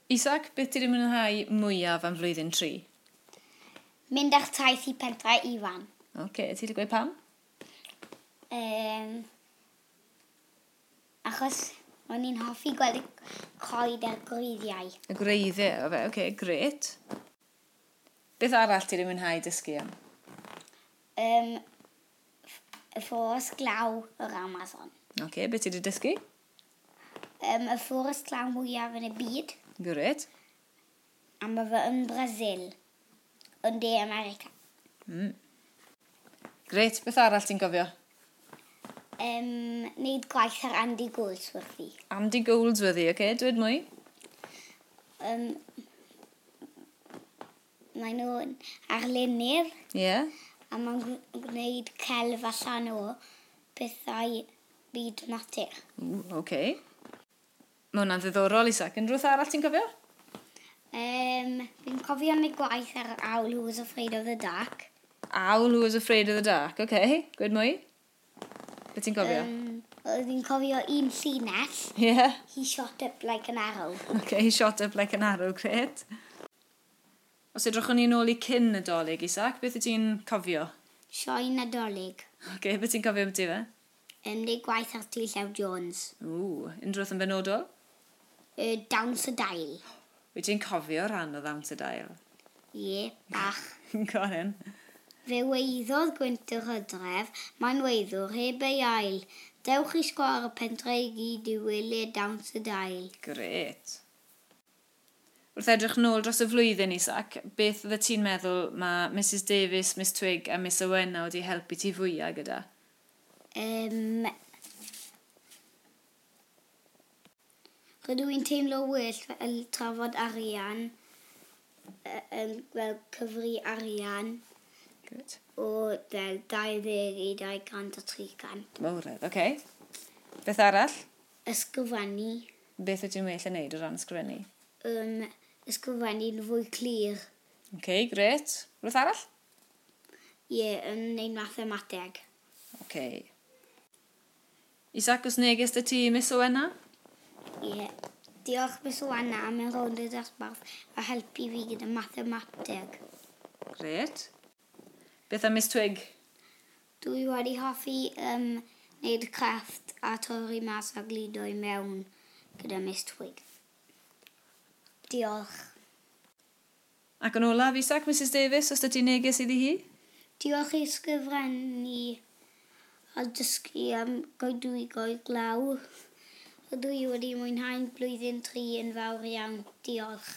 Isaac, beth ti wedi mwynhau mwyaf am flwyddyn 3? Mynd ar taith i Pentre Ifan. Oce, okay, ti wedi gweud pam? Achos o'n i'n hoffi gweld y coed a'r gwreiddiau. Y gwreiddiau, o fe, oce, okay, grêt. Beth arall ti wedi mwynhau dysgu am? Y fforest glaw yr Amazon. Oce, okay, beth ti wedi dysgu? Y fforest glaw mwyaf yn y byd. Grêt. A mae fe yn Brasil, yn De America. Grêt, beth arall ti'n cofio? Neud gwaith ar Andy Goldsworthy. Andy Goldsworthy, oce, okay, dweud mwy? Mae nhw'n arlunydd. Ie. Yeah. A mae'n gwneud celf allan o pethau byd natur. Ww, oce. Okay. Mae hwnna'n ddiddorol, Isaac. Unrhyw beth arall ti'n cofio? Fi'n cofio wneud gwaith ar Owl Who Was Afraid of the Dark. Owl Who Was Afraid of the Dark, oce. Okay. Gwed mwy? Beth ti'n cofio? Fi'n cofio un llinell. Ie. Yeah. He shot up like an arrow. Oce, okay, he shot up like an arrow, grêt. Os edrychwn ni nôl i cyn Nadolig, Isaac, beth wyt ti'n cofio? Sioe Nadolig. Oce, okay, beth ti'n cofio ambiti fe? Wneud gwaith ar T. Llew Jones. Ww, unrhyw beth yn benodol? Dawns y Dail. Wyt ti'n cofio rhan o Ddawns y Dail? Ie, bach. Go on then. Fe weiddodd gwynt yr hydref, mae'n weiddwr heb ei ail. Dewch i sgwâr y pentre i gyd i weled Dawns y Dail. Grêt. Wrth edrych nôl dros y flwyddyn, Isaac, beth oeddet ti'n meddwl mae Mrs Davies, Miss Twig a Miss Owena wedi helpu ti fwyaf gyda? Rydw i'n teimlo well fel trafod arian, fel cyfri arian. Good. O fel 20 i 200 a 300. Mawredd, oce. Okay. Beth arall? Ysgrifennu. Beth wyt ti'n well yn neud o ran ysgrifennu? Ysgrifennu'n fwy clir. Oce, okay, grêt. Rhywbeth arall? Ie, yeah, yn neud mathemateg. Oce. Okay. Isaac, oes neges 'da ti, Miss Owena? Ie. Yeah. Diolch, Miss Owena, am y rownd y dosbarth a helpu fi gyda mathemateg. Grêt. Beth am Miss Twig? Dwi wedi hoffi wneud crefft a torri mas a gludo i mewn gyda Miss Twig. Diolch. Ac yn olaf, Isaac, Mrs Davies, oes 'da ti neges iddi hi? Diolch i ysgrifennu a dysgu am goedwigoedd glaw. Rydw i wedi mwynhau'n blwyddyn 3 yn fawr iawn. Diolch.